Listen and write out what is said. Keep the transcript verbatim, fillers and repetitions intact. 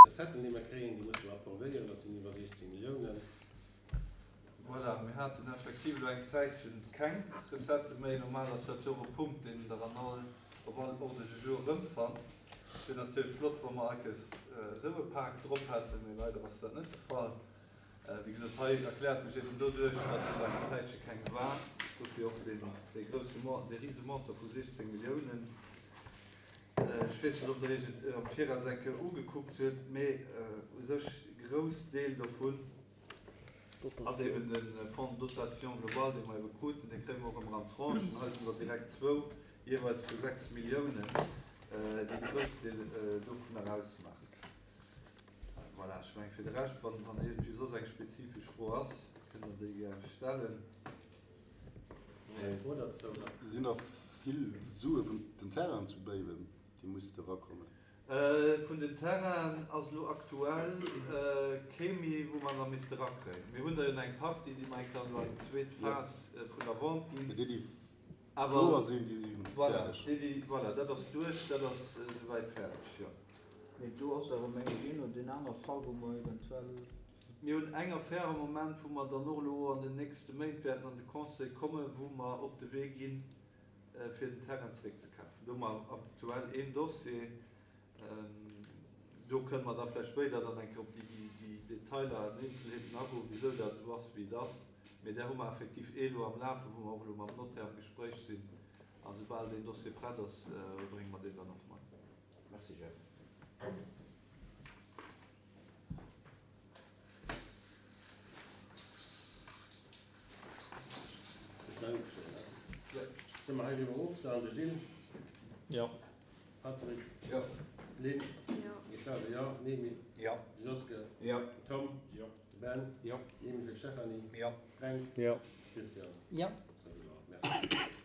Recetten, déi mer kréien, déi musse mer approvéieren, dat sinn iwwer siechzéng Milliounen. Voilà, mir haten effektiv elo eng Zäitchen keng Recettë méi. Normal ass dat jo och e Punkt, deen Der an all, op all Ordre du jour erëmfannt. Et wier natierlech flott, wa mer eikes esou e Pak drop hätten, mee leider ass dat net de Fall. Wéi gesot, hei erkläert sech eben doduerch, datt elo eng Zäitche keng war, dofir och deen, dee grousse, dee rise Montant vu siechzéng Milliounen. Ech weess net, ob Der Iech et am Viraus eng Kéier ugekuckt hutt, mee u sech e grouss Deel dovun ass eben de Fonds de dotation globale, dee mer ebe kruten. Dee kréie mer och ëmmer an Tranchen. Hei sinn der direkt zwou, jeeweils vu sechs Milliounen, déi de Groussdeel dovunner ausmaachen. Voilà, ech mengen, fir de Rescht, wann iergendwéi soss eng spezifesch Fro ass, kënnt Der déi gär stellen. Sinn nach vill Sue vun den Terrainen zu Béiwen, déi musse erakommen? Vun den Terrainen ass elo aktuell kee méi, wou mer nach misste erakréien. Mir hunn der jo nach eng Partie, déi mer eng Kéier elo an déi zweet Phas vun der Vente ginn. Mee déi, déi kloer sinn, déi si fäerdeg. Déi, déi, voilà, dat ass duerch, dat ass esouwäit fäerdeg, jo. Mee do ass awer, meng ech, een oder deen aner Fall, wou mer eventuell. Mir hunn eng Affär am Moment, wou mer dann och elo an den nächste Méint wäerten an de Conseil kommen, wou mer op de Wee ginn, fir den Terrain zeréckzekafen. Do hu mer aktuell een Dossier. Do kënne mer da vläicht spéider dann eng Kéier op déi Detailer an Eenzelheeten agoen, wisou dat esou ass, wéi et ass. Mee där hu mer effektiv ee elo am Lafen, wou mer och elo mam Notaire am Gespréich sinn. A soubal deen Dossier prett ass, brénge mer deen dann och mat. Merci, Jeff. Solle mer heiriwwer ofstellen? De Gilles? Jo. Patrick? Jo. Lynn? Jo. De Serge? Jo. Nemi? Jo. De Joske? Jo. Tom? Jo. De Ben? Jo. Nemi fir d'Stéphanie? Jo. Fränk? Jo. Christian? Jo. Merci.